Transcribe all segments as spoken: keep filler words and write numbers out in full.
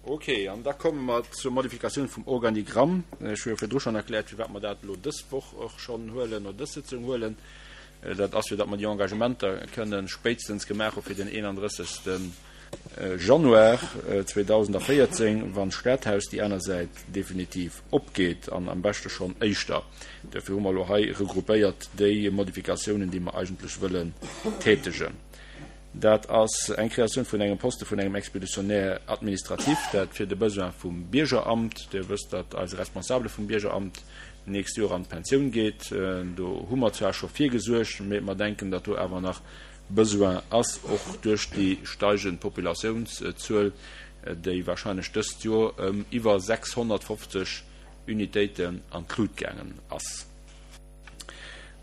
Ok, an da komme mer zur Modifikatioun vum Organigramm. Ech hu jo virdru schonn erkläert, firwat mer dat elo dës Woch och schonn huelen oder dës Sitzung huelen. Dat ass, fir datt mer déi Engagementer kënne spéitstens gemaach hu fir den eenandrëssegste Januar zweedausendvéierzéng, wann d'Stadhaus déi aner Säit definitiv opgeet, an am beschte schonn éischter. Duerfir hu mer elo hei regroupéiert déi Modifikatiounen, déi mer eigentlech wëllen tätegen. Dat ass eng Kreatioun vun engem Poste vun engem Expéditionnaire administratif, dat fir de Besoin vum Biergeramt. Dir wësst, datt eise Responsable vum Biergeramt d'nächst Joer an d'Pensioun geet. Do hu mer zwar scho virgesuergt, mee mer denken, datt do awer nach Besoin ass, och duerch déi steigend Populatiounszuel, déi wahrscheinlech dëst Joer ëm iwwer sechshonnertfofzeg Unitéiten an d'Lut gaangen ass.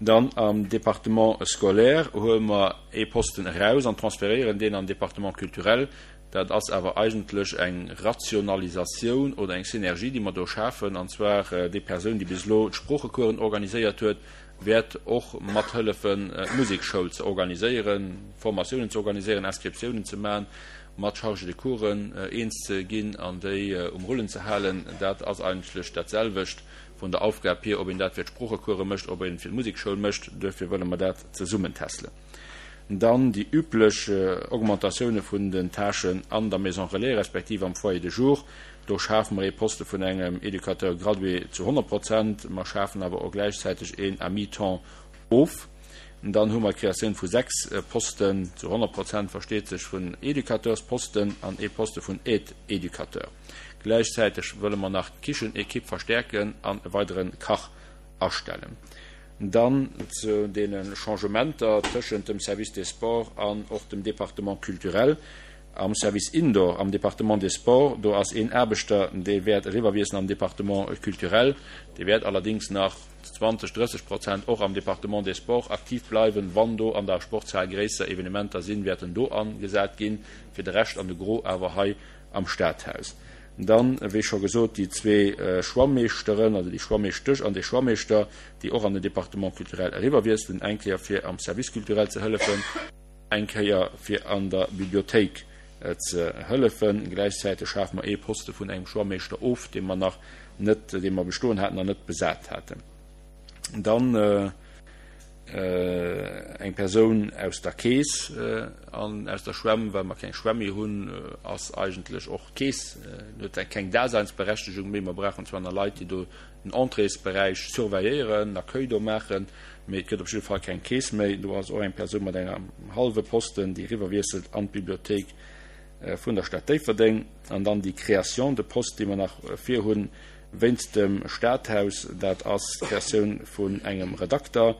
Dann am Département scolaire huele mer ee Posten eraus an transferéieren deen an den Département culturel. Dat ass awer eigentlech eng Rationalisatioun oder eng Synergie, déi mer do schafen. An zwar déi Persoun, déi bis elo d'Sproochecoursen organiséiert huet, wäert och mathëllefen, d'Musekschoul ze organiséieren, Formatiounen ze organiséieren, Inscriptiounen ze maachen, mat Chargés de coursen eens ze ginn an déi um Rullen ze halen. Dat ass eigentlech dat selwecht vun der Aufgab hier, ob een dat fir d'Sproochecourse mécht, ob een et fir d'Musekschoul mécht. Duerfir wëlle mer dat zesummentässelen. Dann déi üblech Augmentatioune vun den Tâchen an der Maison relais respektiv am Foyer de jour. Do schafe mer ee Poste vun engem Éducateur gradué zu honnert Prozent. Mer schafen awer och gläichzäiteg een à mi-temps of. Dann hu mer d'Kreatioun vu sechs Posten zu honnert Prozent, versteet sech, vun Éducateursposten an ee Poste vun Aide-éducateur. Gläichzäiteg wëlle mer nach d'Kichenekipp verstäerken an e weidere Kach astellen. Dann zu deene Changementer tëschent dem Service des Sports an och dem Département culturel. Am Service Indoor am Département des Sports, do ass een Aarbechter, dee wäert eriwwerwiesselen am Département culturel. Dee wäert allerdéngs nach zwanzeg, drësseg Prozent och am Département des Sports aktiv bleiwen. Wann do an der Sportshal gréisser Evenementer sinn, wäert en do agesat ginn, fir de Rescht an de Gros awer hei am Stadhaus. Dann, wéi scho gesot, déi zwee Schwammeeschteren, also déi Schwammeeschtesch an dee Schwammeeschter, déi och an den Département culturel eriwwerwiesselen, eng Kéier fir am Service culturel ze hëllefen, eng Kéier fir an der Bibliothéik ze hëllefen. Gläichzäiteg schafe mer ee Poste vun engem Schwammeeschter of, dee mer nach net, dee mer bestoen haten an net besat haten. Dann eng Persoun aus der Keess an aus der Schwämm, well mer keng Schwämm méi hunn, ass eigentlech och d'Keess huet keng Daseinsberechtegung méi. Mer brauchen zwar nach Leit, déi do den Entréesberäich surveilléieren, den Accueil do maachen, mee et gëtt op jidde Fall keng Keess méi. Do ass och eng Persoun mat engem hallwe Posten, déi eriwwerwiesselt an d'Bibliothéik vun der Stad Déifferdeng. An dann déi Création de poste, déi mer nach virhunn wéinst dem Stadhaus, dat ass d'Creatioun vun engem Redakter,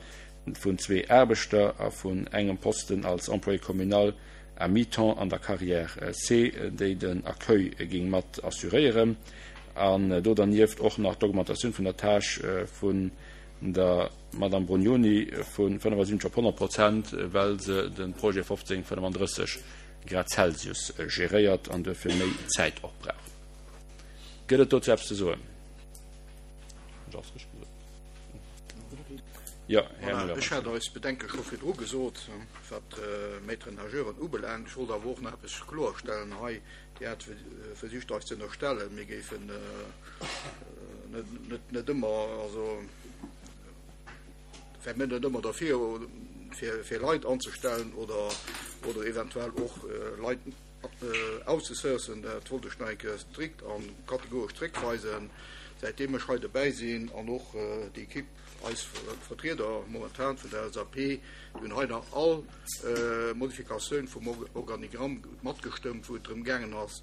vun zwee Aarbechter a vun engem Posten als Employé communal à mi-temps an der Carrière C, déi den Accueil géing mat assuréieren. An do dernieft och nach d'Augmentatioun vun der Tâche vun der Madame Brugnoni vu fënnefasiwwenzeg op honnert Prozent, well se de Projet fofzéng fënnefandrësseg Grad Celsius geréiert an duerfir méi Zäit och brauch. Gëtt et dozou eppes ze soen? Jo, Här Müller. Ech hat eis Bedenke scho virdru gesot, wat d'Maîtres-nageuren ubelaangt. Ech wollt awer och nach eppes kloerstellen hei. Dir hat versicht eis ze ënnerstellen, mir géifen net net ëmmer, also wäre mir net ëmmer derfir, fir fir Leit anzestellen oder oder eventuell och Leit auszesourcen. Dat wollt ech nach eng Kéier strikt a kategoresch zréckweisen. Säitdeem ech hei dobäi sinn an och déi Equipe, eis Vertrieder momentan vun der L S A P, déi hunn hei nach all Modifikatioun vum Organigramm matgestëmmt, wou et drëm gaangen ass,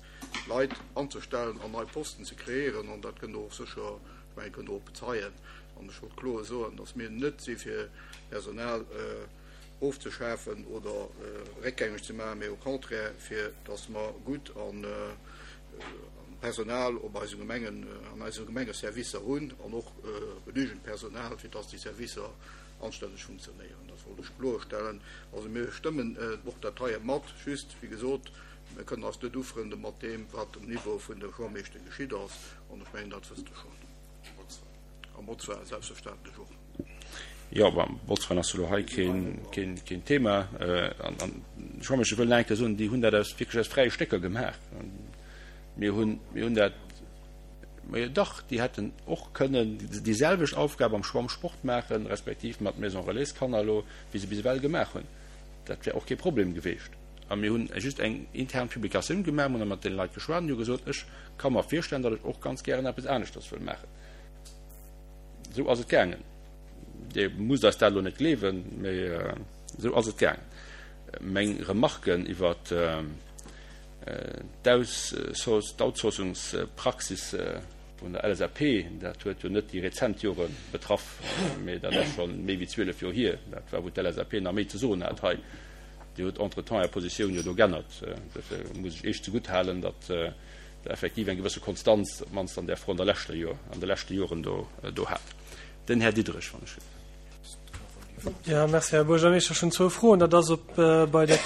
Leit anzestellen an nei Posten ze kreéieren. An dat kënnt Der och sécher, ech mengen, kënnt Der och bezeien. An ech wollt kloer soen, datt mir net si fir Personal ofzeschafen oder réckgängeg ze maachen, mee au contraire, fir datt mer gutt an Personal op eise Gemengen, an eise Gemengeservicer hunn an och genügend Personal, fir datt déi Servicer anstänneg funktionéieren. Dat wollt ech kloerstellen. Also mir stëmmen och dat heie mat, just, wéi gesot, mir kënnen eis net ufrënde mat deem, wat um Niveau vun de Schwammeeschte geschitt ass. An ech mengen, dat wësst Der schonn. A Botzwein selbstverständlech och. Jo, bon, Botzwein ass elo hei keen, keen, keen Thema. An, an d'Schwammeeschte wëllen eng Kéier soen, déi hunn dat aus, wierklech aus fräie Stécker gemaach. Mir hunn, mir hunn dat, majo dach, déi hätten och kënnen déi selwecht Aufgab am Schwammsport maachen, respektiv mat Maison Relais Kanner elo, wéi se bis ewell gemaach hunn. Dat wär och kee Problem geweecht. A mir hunn just eng intern Publikatioun gemaach, mir hunn da mat deene Leit geschwat an déi hu gesot, ech ka mer virstellen, datt ech och ganz gären eppes aneschters wëll maachen. Esou ass et gaangen. Dir musst eis dat elo net gleewen, mee esou ass et gaangen. Meng Remarken iwwer d'Outsourcungspraxis vun der LSAP, dat huet jo net déi rezent Jore betraff, mee dat ass scho méi wéi zwielef Joer hier. Dat war, wou d'LSAP nach méi ze soen hat hei. Dir hutt entretemps Är Positioun jo do g'ännert. Dofir muss ech Iech zegutt halen, datt Der effektiv eng gewësse Konstanz, op d'mannst an där Fro an der leschter Joer, an de leschte Joren do, do hat. Den Här Diderich, wann ech. Jo, merci, Här Buergermeeschter. Ech hunn zwou Froen. Dat ass, ob bei der,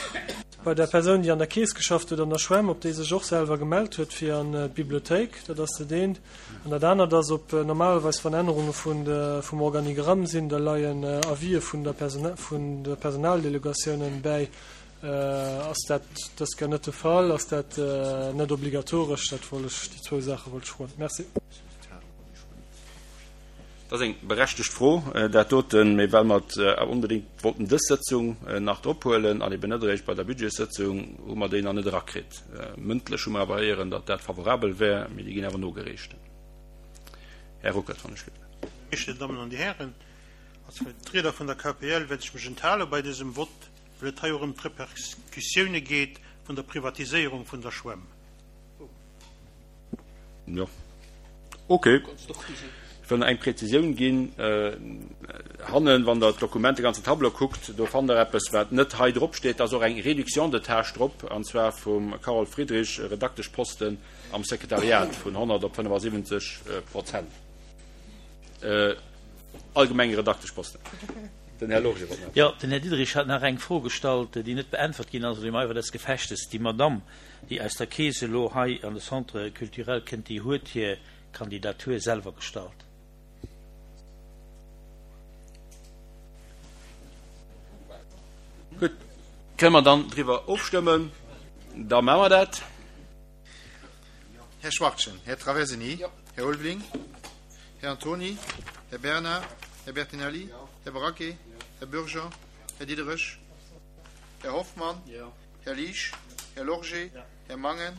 bei der Persoun, déi an der Keess geschafft huet an der Schwämm, ob déi sech och selwer gemellt huet fir an d'Bibliothéik. Dat ass dat eent. An dat anert ass, ob normalerweis, wann Ännerunge vun de, vum Organigramm sinn, da leien Avisë vun der Persona, vun de Personaldelegatiounen bäi. Ass dat dës Kéier net de Fall? Ass dat net obligatoresch? Dat wollt ech, déi zwou Saache wollt ech froen. Merci. Dat ass eng berechtegt Fro, dat doten. Mee well mer et awer onbedéngt wollten dës Sëtzung nach drop huelen an eben net eréischt bei der Budgetssëtzung, hu mer déi nach net erakritt. Mëndlech hu mer awer héieren, datt dat favorabel wär, mee déi ginn awer nogereecht. Här Ruckert, wann ech. Här Dammen an Dir Hären, als Vertrieder vun der KPL wäert ech mech enthale bei dësem Vott, well et hei och ëm d'Repercussioune geet vun der Privatiséierung vun der Schwämm. Jo, ok. Ech wëll nach eng Präzisioun ginn. Hannen, wann Der d'Dokument, de ganzen Tableau kuckt, do fannt Der eppes, wat net hei drop steet. Da ass och eng Réduction de tâches drop, an zwar vum Carole Friedrich, Redakteschposten am Sekretariat, vun honnert op fënnefasiwwenzeg Prozent. Allgemenge Redakteschposten. Den Här Lorge wollt nach. Jo, den Här Diderich hat nach eng Fro gestallt, déi net beäntwert ginn ass, oder im Eifer des Gefechtes. Déi Madamm, déi aus der Keess elo hei an de Centre culturel kënnt, déi huet hir Kandidatur selwer gestallt. Gutt, kënne mer dann driwwer ofstëmmen? Da maache mer dat. Här Schwachtgen, Här Traversini, Här Ulveling, Här Antony, Här Bernard, Här Bertinelli, Här Braquet, Här Bürger, Här Diderich, Här Hoffmann, Här Liesch, Här Lorgé, Här Mangen,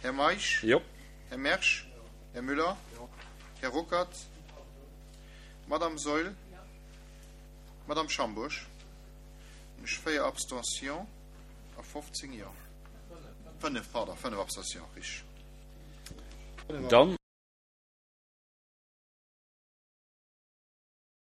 Här Meisch, Här Mersch, Här Müller, Här Ruckert, Madame Saeul, Madame Schambourg. Ech véier Abstentions a fofzéng Jo. Fënnef, pardon, fënnef Abstentions, richteg. Dann.